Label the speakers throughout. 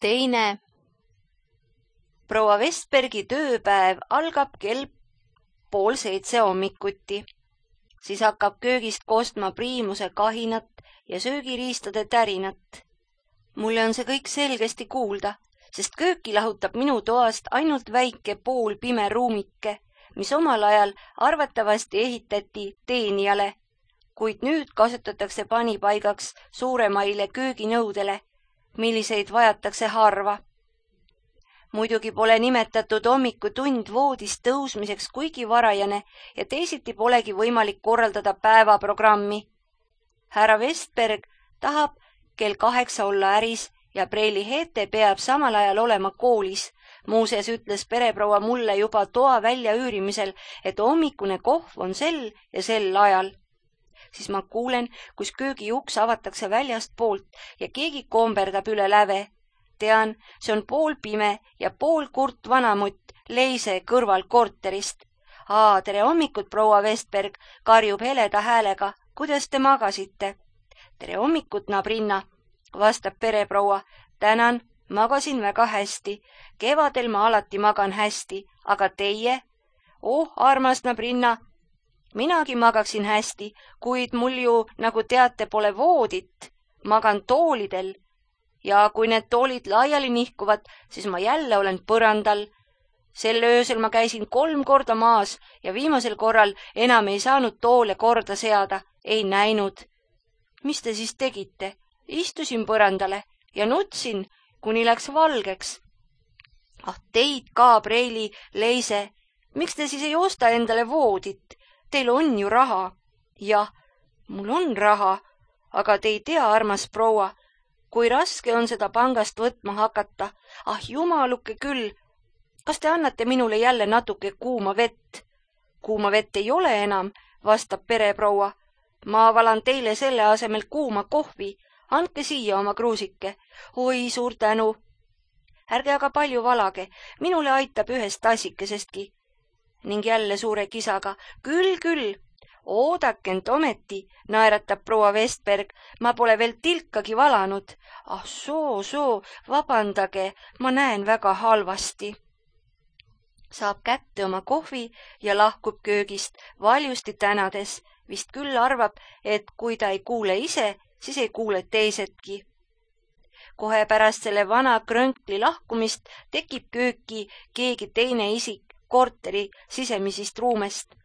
Speaker 1: 2. Proua Vestbergi tööpäev algab kell 6:30 hommikuti. Siis hakkab köögist kostma priimuse kahinat ja söögiriistade tärinat. Mulle on see kõik selgesti kuulda, sest kööki lahutab minu toast ainult väike poolpime ruumike, mis omal ajal arvatavasti ehitati teenijale, kuid nüüd kasutatakse panipaigaks suuremaile kööginõudele, milliseid vajatakse harva. Muidugi pole nimetatud hommikutund voodist tõusmiseks kuigi varajane ja teisiti polegi võimalik korraldada päevaprogrammi. Härra Vestberg tahab kell 8 olla äris ja Preili Heete peab samal ajal olema koolis. Muuseas ütles pereproua mulle juba toa väljaüürimisel, et hommikune kohv on sel ja sel ajal. Siis ma kuulen, kus köögiuks avatakse väljast poolt ja keegi komberdab üle läve. Tean, see on poolpime ja pool kurt vanamutt Leise kõrval korterist. Tere hommikut, proua Vestberg, karjub heleda häälega. Kuidas te magasite? Tere hommikut, Nabrinna, vastab pereproua. Tänan, magasin väga hästi. Kevadel ma alati magan hästi, aga teie? Armas Nabrinna, minagi magaksin hästi, kuid mul ju, nagu teate, pole voodit. Magan toolidel. Ja kui need toolid laiali nihkuvad, siis ma jälle olen põrandal. Sel öösel ma käisin 3 korda maas ja viimasel korral enam ei saanud toole korda seada, ei näinud. Mis te siis tegite? Istusin põrandale ja nutsin, kuni läks valgeks. Teid ka, Preili, Leise, miks te siis ei osta endale voodit? Teil on ju raha. Jah, mul on raha, aga te ei tea, armas proua, kui raske on seda pangast võtma hakata. Jumaluke küll. Kas te annate minule jälle natuke kuuma vett? Kuuma vett ei ole enam, vastab pereproua. Ma valan teile selle asemel kuuma kohvi. Andke siia oma kruusike. Oi, suur tänu. Ärge aga palju valage. Minule aitab ühest tassikesestki. Ning jälle suure kisaga. Küll. Oodakent ometi, naeratab proua Vestberg, ma pole veel tilkagi valanud. Soo, vabandage, ma näen väga halvasti. Saab kätte oma kohvi ja lahkub köögist, valjusti tänades. Vist küll arvab, et kui ta ei kuule ise, siis ei kuule teisedki. Kohe pärast selle vana krönkli lahkumist tekib kööki keegi teine isik korteri sisemisist ruumest.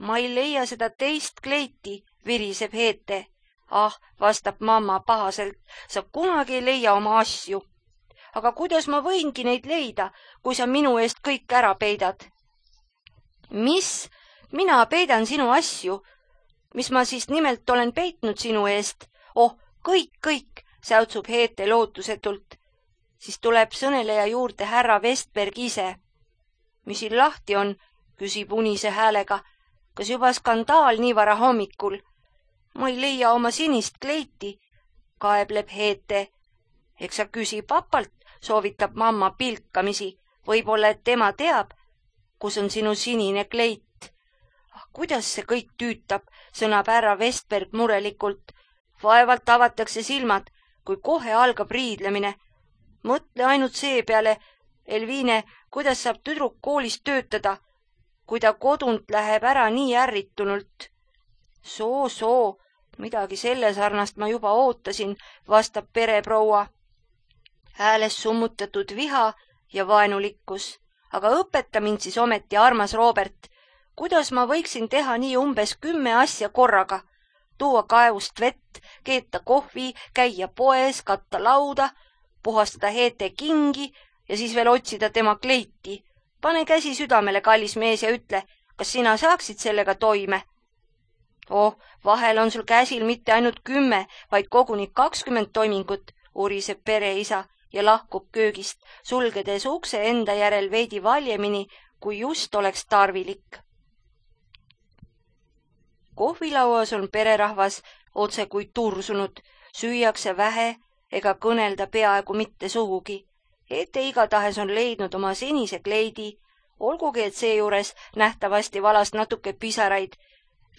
Speaker 1: Ma ei leia seda teist kleiti, viriseb Heete. Vastab mamma pahaselt, sa kunagi ei leia oma asju. Aga kuidas ma võingi neid leida, kui sa minu eest kõik ära peidad? Mis? Mina peidan sinu asju? Mis ma siis nimelt olen peitnud sinu eest? Kõik, säutsub Heete lootusetult. Siis tuleb sõneleja juurde härra Vestberg ise. Mis siin lahti on, küsib unise häälega. Kas juba skandaal nii vara hommikul? Ma ei leia oma sinist kleiti, kaebleb Heete. Eks sa küsi papalt, soovitab mamma pilkamisi. Võib-olla, et tema teab, kus on sinu sinine kleit. Kuidas see kõik tüütab, sõnab härra Vestberg murelikult. Vaevalt avatakse silmad, kui kohe algab riidlemine. Mõtle ainult see peale, Elviine, kuidas saab tüdruk koolis töötada, kui ta kodunt läheb ära nii ärritunult. Soo, midagi selle sarnast ma juba ootasin, vastab pereproua. Hääles summutatud viha ja vaenulikkus. Aga õpeta mind siis ometi, armas Robert, kuidas ma võiksin teha nii umbes 10 asja korraga? Tuua kaevust vett, keeta kohvi, käia poes, katta lauda, puhastada Heete kingi ja siis veel otsida tema kleiti. Pane käsi südamele, kallis mees, ja ütle, kas sina saaksid sellega toime? Vahel on sul käsil mitte ainult 10, vaid koguni 20 toimingut, uriseb pereisa ja lahkub köögist, sulgedes ukse enda järel veidi valjemini, kui just oleks tarvilik. Kohvilauas on pererahvas otse kui tursunud, süüakse vähe ega kõnelda peaaegu mitte sugugi. Heete igatahes on leidnud oma senise kleidi, olgugi et seejuures nähtavasti valas natuke pisaraid.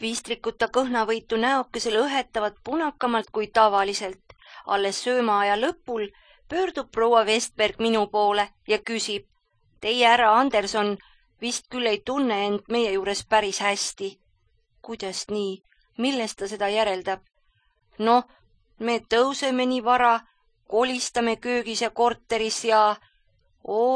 Speaker 1: Viistrikuta kõhnavõitu näokesel õhetavad punakamalt kui tavaliselt. Alles söömaaja lõpul pöördub proua Vestberg minu poole ja küsib: teie härra Anderson vist küll ei tunne end meie juures päris hästi. Kuidas nii? Millest ta seda järeldab? Noh, me tõuseme nii vara, kolistame köögis ja korteris ja...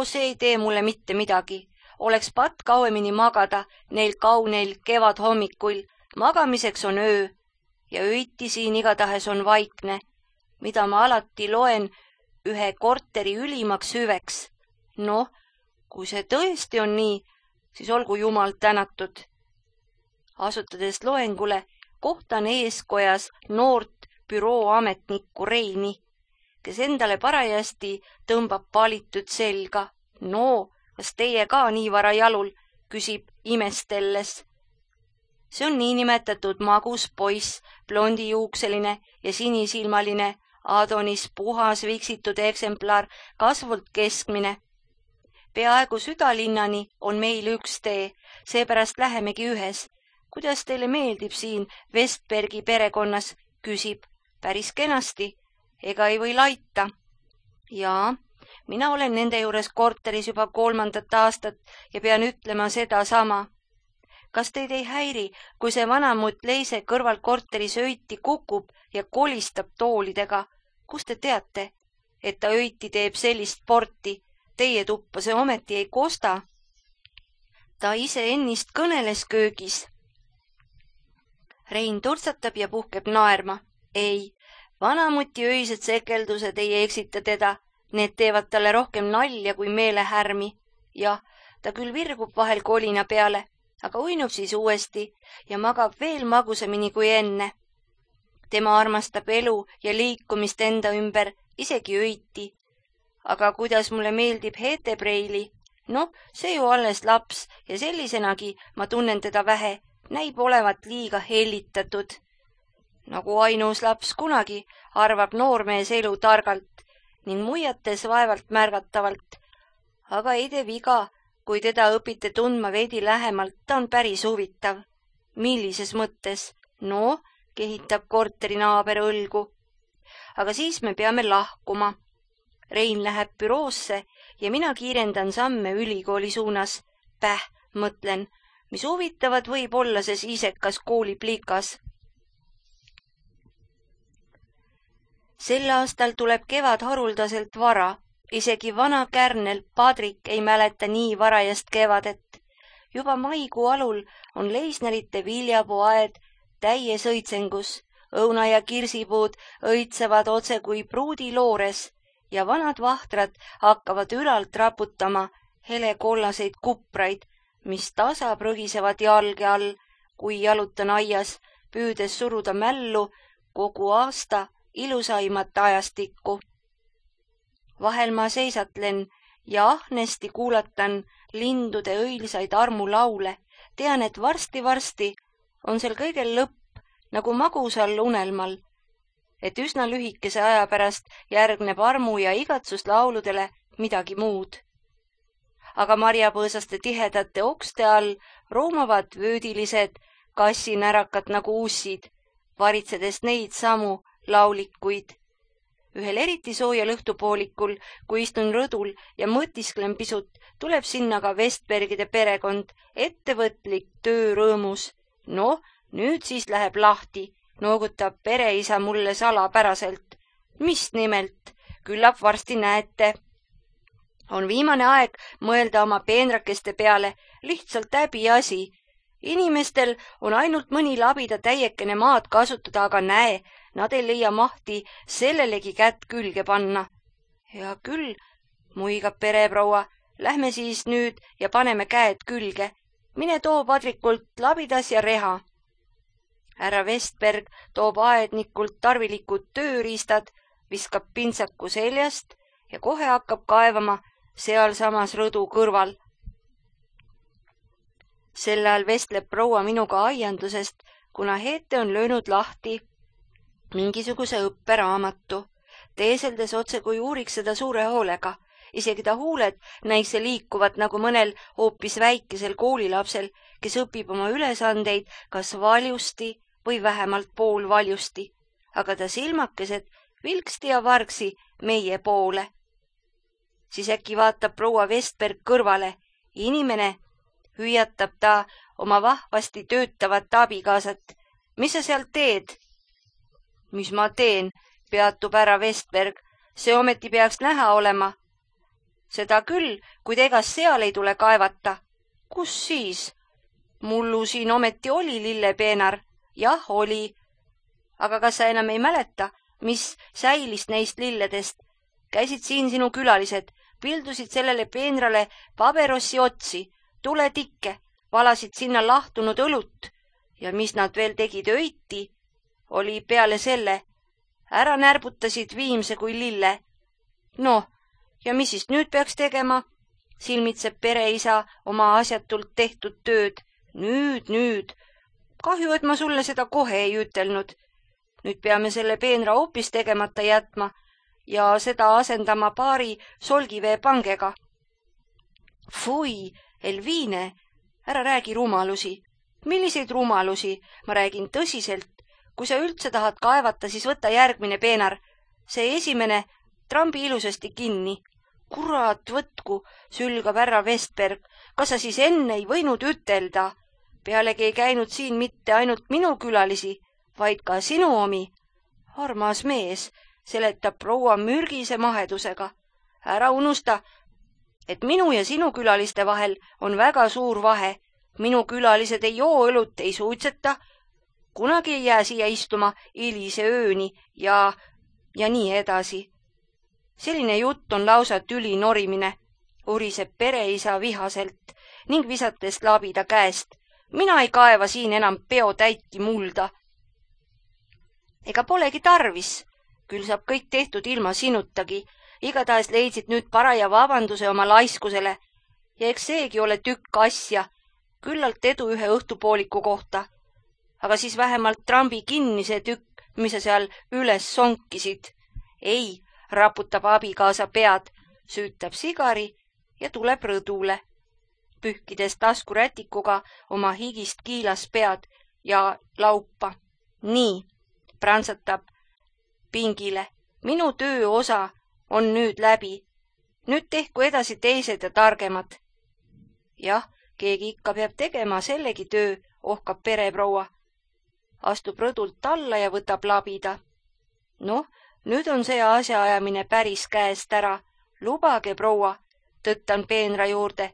Speaker 1: see ei tee mulle mitte midagi. Oleks patt kauemini magada neil kauneil kevadhommikuil. Magamiseks on öö ja öiti siin igatahes on vaikne, mida ma alati loen ühe korteri ülimaks hüveks. Noh, kui see tõesti on nii, siis olgu Jumal tänatud. Asutades loengule, kohtan eeskojas noort bürooametnikku Reini, kes endale parajasti tõmbab palitud selga. No, kas teie ka nii vara jalul, küsib imestelles. See on niinimetatud magus poiss, blondijuukseline ja sinisilmaline, Adonis puhas viksitud eksemplar, kasvult keskmine. Peaaegu südalinnani on meil üks tee, seepärast lähemegi ühes. Kuidas teile meeldib siin Vestbergi perekonnas, küsib. Päris kenasti, ega ei või laita. Jaa, mina olen nende juures korteris juba 3. aastat ja pean ütlema seda sama. Kas teid ei häiri, kui see vanamutt Leise kõrval korteris öiti kukub ja kolistab toolidega? Kust te teate, et ta öiti teeb sellist sporti? Teie tuppa see ometi ei kosta. Ta ise ennist kõneles köögis. Rein turtsatab ja puhkeb naerma. Ei, vanamuti öised sekeldused ei eksita teda. Need teevad talle rohkem nalja kui meelehärmi. Jah, ta küll virgub vahel kolina peale, aga uinub siis uuesti ja magab veel magusamini kui enne. Tema armastab elu ja liikumist enda ümber, isegi öiti. Aga kuidas mulle meeldib Hetepreili? Noh, see ju alles laps ja sellisenagi ma tunnen teda vähe, näib olevat liiga hellitatud. Nagu ainus laps kunagi, arvab noormees elu targalt ning muiates vaevalt märgatavalt. Aga ei tee viga, kui teda õpite tundma veidi lähemalt, ta on päris huvitav. Millises mõttes? No, kehitab korteri naaber õlgu. Aga siis me peame lahkuma. Rein läheb büroosse ja mina kiirendan samme ülikooli suunas. Mõtlen, mis huvitavad võib olla see isekas kooliplikas. Sel aastal tuleb kevad haruldaselt vara. Isegi vana kärnel Padrik ei mäleta nii varajast kevadet. Juba maikuu alul on leisnerite viljapuuaed täies õitsengus. Õuna ja kirsipuud õitsevad otse kui pruudiloores ja vanad vahtrad hakkavad ülalt raputama helekollaseid kupraid, mis tasa prõgisevad jalge all, kui jalutan aias, püüdes suruda mällu kogu aasta ilusaimat ajastikku. Vahel ma seisatlen ja ahnesti kuulatan lindude õilsaid armulaule. Tean, et varsti on seal kõigel lõpp, nagu magusal unelmal, et üsna lühikese aja pärast järgneb armu ja igatsuslauludele midagi muud. Aga marjapõõsaste tihedate okste all roomavad vöödilised kassinärakad nagu ussid, varitsedes neid samu laulikuid. Ühel eriti soojal õhtupoolikul, kui istun rõdul ja mõtisklen pisut, tuleb sinna ka Vestbergide perekond, ettevõtlik töörõõmus. Noh, nüüd siis läheb lahti, noogutab pereisa mulle salapäraselt. Mis nimelt? Küllap varsti näete. On viimane aeg mõelda oma peenrakeste peale, lihtsalt häbiasi. Inimestel on ainult mõni labida täiekene maad kasutada, aga näe, nad ei leia mahti sellelegi kätt külge panna. Hea küll, muigab pereproua, lähme siis nüüd ja paneme käed külge. Mine too Padrikult labidas ja reha. Härra Vestberg toob aednikult tarvilikud tööriistad, viskab pintsaku seljast ja kohe hakkab kaevama sealsamas rõdu kõrval. Sel ajal vestleb proua minuga aiandusest, kuna Hete on löönud lahti mingisuguse õpperaamatu, teeseldes otse kui uuriks seda suure hoolega. Isegi ta huuled näikse liikuvat nagu mõnel hoopis väikesel koolilapsel, kes õpib oma ülesandeid kas valjusti või vähemalt poolvaljusti. Aga ta silmakesed vilksti ja vargsi meie poole. siis äkki vaatab proua Vestberg kõrvale. Inimene, hüüatab ta oma vahvasti töötavat abikaasat. Mis sa seal teed? Mis ma teen, peatub ära Vestberg. See ometi peaks näha olema. Seda küll, kuid egas seal ei tule kaevata. Kus siis? Mullu siin ometi oli lillepeenar. Jah, oli. Aga kas sa enam ei mäleta, mis säilis neist lilledest? Käisid siin sinu külalised, pildusid sellele peenrale paberossi otsi, tuletikke, valasid sinna lahtunud õlut ja mis nad veel tegid öiti, oli peale selle, ära närbutasid viimse kui lille. Noh, ja mis siis nüüd peaks tegema? Silmitseb pereisa oma asjatult tehtud tööd. Nüüd. Kahju, et ma sulle seda kohe ei ütelnud. Nüüd peame selle peenra hoopis tegemata jätma ja seda asendama paari solgiveepangega. Fui, Elviine, ära räägi rumalusi. Milliseid rumalusi? Ma räägin tõsiselt. Kui sa üldse tahad kaevata, siis võta järgmine peenar. See esimene trambi ilusasti kinni. Kurat võtku, sülgab härra Vestberg. Kas sa siis enne ei võinud ütelda? Pealegi ei käinud siin mitte ainult minu külalisi, vaid ka sinu omi. Armas mees, seletab proua mürgise mahedusega. Ära unusta, et minu ja sinu külaliste vahel on väga suur vahe. Minu külalised ei joo õlut, ei suitseta. Kunagi ei jää siia istuma hilise ööni ja nii edasi. Selline jutt on lausa tüli norimine, uriseb pereisa vihaselt ning visates labida käest. Mina ei kaeva siin enam peotäitki mulda. Ega polegi tarvis, küll saab kõik tehtud ilma sinutagi. Igatahes leidsid nüüd paraja vabanduse oma laiskusele ja eks seegi ole tükk asja, küllalt edu ühe õhtupooliku kohta. Aga siis vähemalt trambi kinni see tükk, mis sa seal üles sonkisid. Ei, raputab abikaasa pead, süütab sigari ja tuleb rõdule, pühkides taskurätikuga oma higist kiilas pead ja laupa. Nii, prantsatab pingile. Minu töö osa on nüüd läbi. Nüüd tehku edasi teised ja targemad. Jah, keegi ikka peab tegema sellegi töö, ohkab pereproua. Astub rõdult alla ja võtab labida. Noh, nüüd on see asjaajamine päris käest ära. Lubage, proua, tõttan peenra juurde.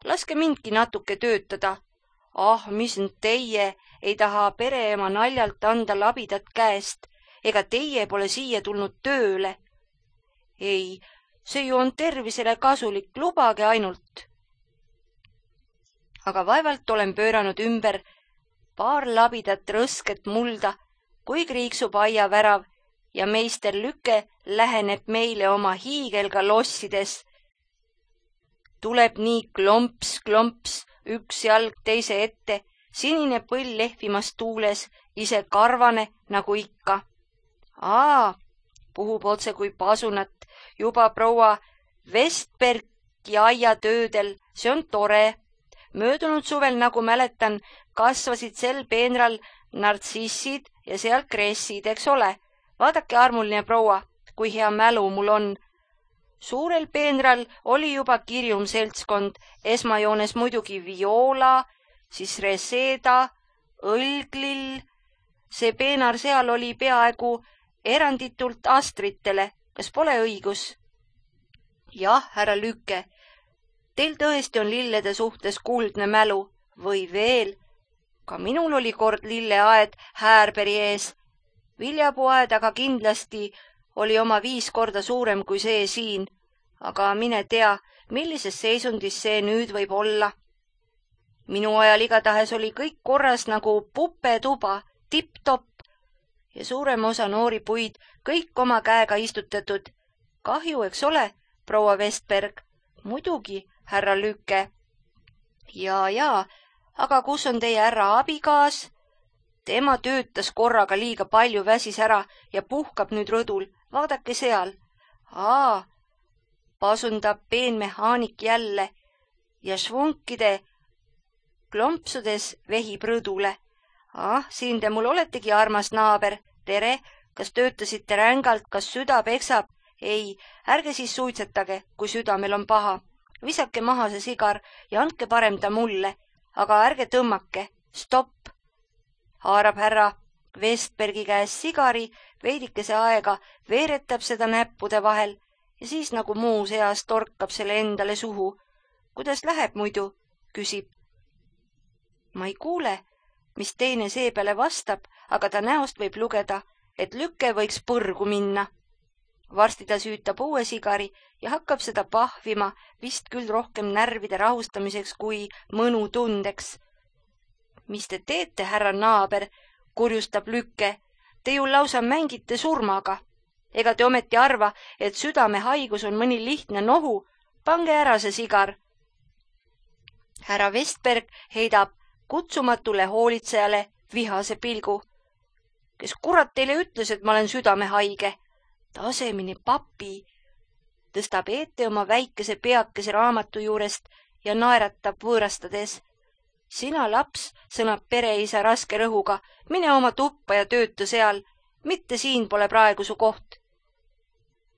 Speaker 1: Laske mindki natuke töötada. Ah, mis nüüd teie ei taha pereema naljalt anda labidat käest. Ega teie pole siia tulnud tööle. Ei, see ju on tervisele kasulik, lubage ainult. Aga vaevalt olen pööranud ümber paar labidat rõsket mulda, kui kriiksub aiavärav ja meister Lüke läheneb meile oma hiigelga lossides. Tuleb nii klomps, üks jalg teise ette, sinine põll lehvimas tuules, ise karvane nagu ikka. Puhub otse kui pasunat, juba proua Vestbergi aiatöödel, see on tore. Möödunud suvel, nagu mäletan, kasvasid sel peenral nartsissid ja seal kressid, eks ole. Vaadake, armuline proua, kui hea mälu mul on. Suurel peenral oli juba kirjum seltskond, esmajoones muidugi Viola, siis Reseda, Õlglill. See peenar seal oli peaaegu eranditult Astritele, kas pole õigus? Jah, härra Lüke, teil tõesti on lillede suhtes kuldne mälu või veel. Ka minul oli kord lilleaed Häärberi ees. Viljapuuaed aga kindlasti oli oma 5 korda suurem kui see siin, aga mine tea, millises seisundis see nüüd võib olla. Minu ajal igatahes oli kõik korras nagu pupetuba, tipp-topp ja suurem osa noori puid kõik oma käega istutatud. Kahju, eks ole, proua Vestberg? Muidugi, härra Lüke. Ja, aga kus on teie härra abikaas? Tema töötas korraga liiga palju, väsis ära ja puhkab nüüd rõdul. Vaadake seal. Pasundab peenmehaanik jälle ja švunkide klompsudes vehib rõdule. Siin te mul oletegi, armas naaber. Tere, kas töötasite rängalt, kas süda peksab? Ei, ärge siis suitsetage, kui südamel on paha. Visake maha see sigar ja andke parem ta mulle, aga ärge tõmmake. Stopp! Haarab härra Vestbergi käest sigari, veidikese aega veeretab seda näppude vahel ja siis nagu muus eas torkab selle endale suhu. Kuidas läheb muidu? Küsib. Ma ei kuule, mis teine seepeale vastab, aga ta näost võib lugeda, et lüke võiks põrgu minna. Varsti ta süütab uue sigari ja hakkab seda pahvima, vist küll rohkem närvide rahustamiseks kui mõnu tundeks. Mis te teete, härra naaber, kurjustab lükke. Te ju lausa mängite surmaga. Ega te ometi arva, et südamehaigus on mõni lihtne nohu? Pange ära see sigar. Härra Vestberg heidab kutsumatule hoolitsejale vihase pilgu. Kes kurat teile ütles, et ma olen südamehaige? Tasemini papi. Tõstab ette oma väikese peakese raamatu juurest ja naeratab võõrastades. Sina, laps, sõnab pereisa raske rõhuga, mine oma tuppa ja tööta seal, mitte siin pole praegu su koht.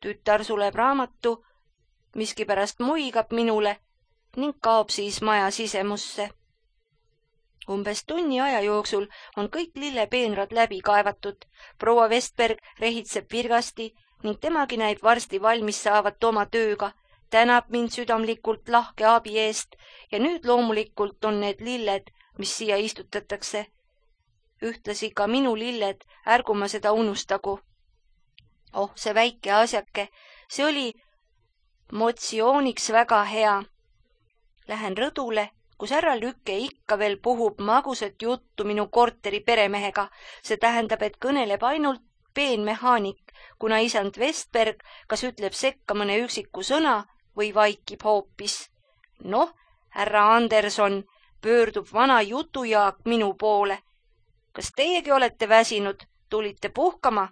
Speaker 1: Tütar suleb raamatu, miskipärast muigab minule ning kaob siis maja sisemusse. Umbes tunni aja jooksul on kõik lillepeenrad läbi kaevatud. Proua Vestberg rehitseb virgasti ning temagi näib varsti valmis saavat oma tööga. Tänab mind südamlikult lahke abi eest ja nüüd loomulikult on need lilled, mis siia istutatakse. Ühtlasi ka minu lilled, ärgu ma seda unustagu. Oh, see väike asjake, see oli motsiooniks väga hea. Lähen rõdule, kus härra Lükke ikka veel puhub magusat juttu minu korteri peremehega. See tähendab, et kõneleb ainult peenmehaanik, kuna isand Vestberg kas ütleb sekka mõne üksiku sõna või vaikib hoopis. Noh, härra Anderson, pöördub vana jutujaak minu poole. Kas teiegi olete väsinud? Tulite puhkama?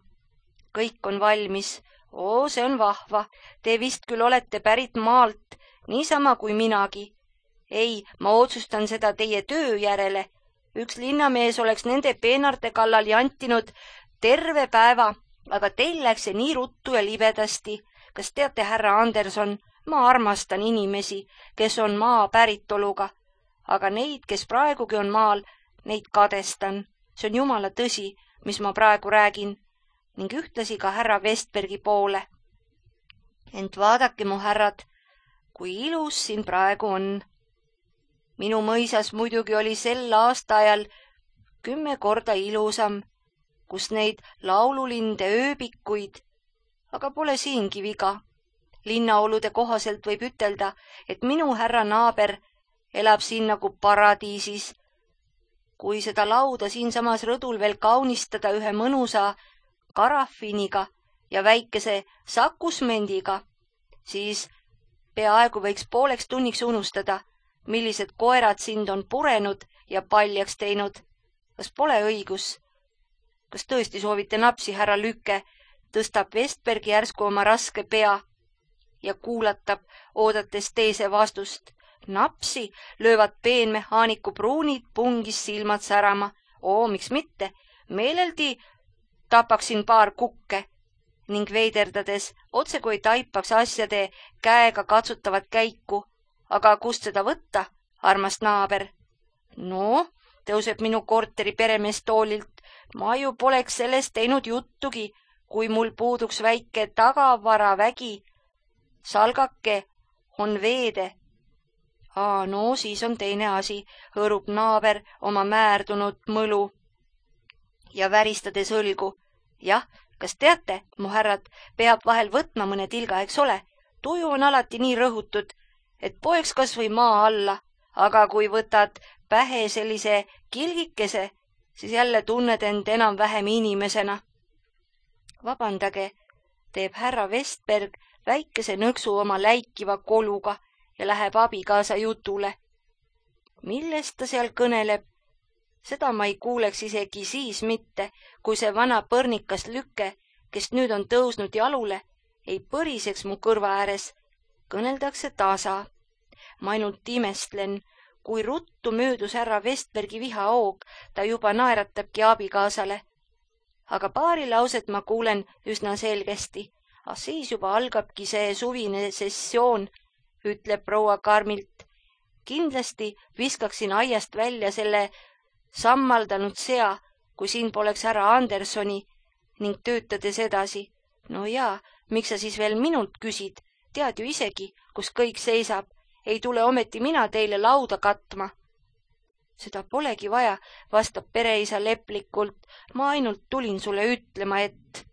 Speaker 1: Kõik on valmis. Oo, see on vahva. Te vist küll olete pärit maalt, niisama kui minagi. Ei, ma otsustan seda teie töö järele. Üks linnamees oleks nende peenarte kallal jantinud terve päeva, aga teil läks see nii ruttu ja libedasti. Kas teate, härra Anderson, ma armastan inimesi, kes on maa päritoluga, aga neid, kes praegugi on maal, neid kadestan. See on jumala tõsi, mis ma praegu räägin, ning ühtlasi ka härra Vestbergi poole. Ent vaadake, mu härrad, kui ilus siin praegu on. Minu mõisas muidugi oli sel aastaajal 10 korda ilusam, kus neid laululinde ööbikuid, aga pole siingi viga. Linnaolude kohaselt võib ütelda, et minu härra naaber elab siin nagu paradiisis. Kui seda lauda siinsamas rõdul veel kaunistada ühe mõnusa karafiniga ja väikese sakusmendiga, siis peaaegu võiks pooleks tunniks unustada, millised koerad sind on purenud ja paljaks teinud. Kas pole õigus? Kas tõesti soovite napsi, härra Lükke? Tõstab Vestbergi järsku oma raske pea ja kuulatab, oodates teise vastust. Napsi löövad peenmehaaniku pruunid pungis silmad särama. Oo, miks mitte? Meeleldi tapaksin paar kukke ning veiderdades otse kui taipaks asjade käega katsutavat käiku. Aga kust seda võtta, armas naaber? No, tõuseb minu korteri peremees toolilt. Ma ju poleks sellest teinud juttugi, kui mul puuduks väike tagavaravägi. Salgake on veede. No, siis on teine asi, hõõrub naaber oma määrdunud mõlu ja väristades õlgu. Jah, kas teate, mu härrad, peab vahel võtma mõne tilga, eks ole? Tuju on alati nii rõhutud, et poeks kas või maa alla, aga kui võtad pähe sellise kilgikese, siis jälle tunned end enam-vähem inimesena. Vabandage, teeb härra Vestberg väikese nõksu oma läikiva koluga ja läheb abikaasa jutule. Millest ta seal kõneleb? Seda ma ei kuuleks isegi siis mitte, kui see vana põrnikas Lükke, kes nüüd on tõusnud jalule, ei põriseks mu kõrva ääres. Kõneldakse tasa. Ma ainult imestlen, kui ruttu möödus härra Vestbergi vihaoog, ta juba naeratabki abikaasale. Aga paari lauset ma kuulen üsna selgesti. Siis juba algabki see suvine sessioon, ütleb proua karmilt. Kindlasti viskaksin aiast välja selle sammaldanud sea, kui siin poleks härra Andersoni, ning töötades edasi. No jaa, miks sa siis veel minult küsid? Tead ju isegi, kus kõik seisab. Ei tule ometi mina teile lauda katma. Seda polegi vaja, vastab pereisa leplikult. Ma ainult tulin sulle ütlema, et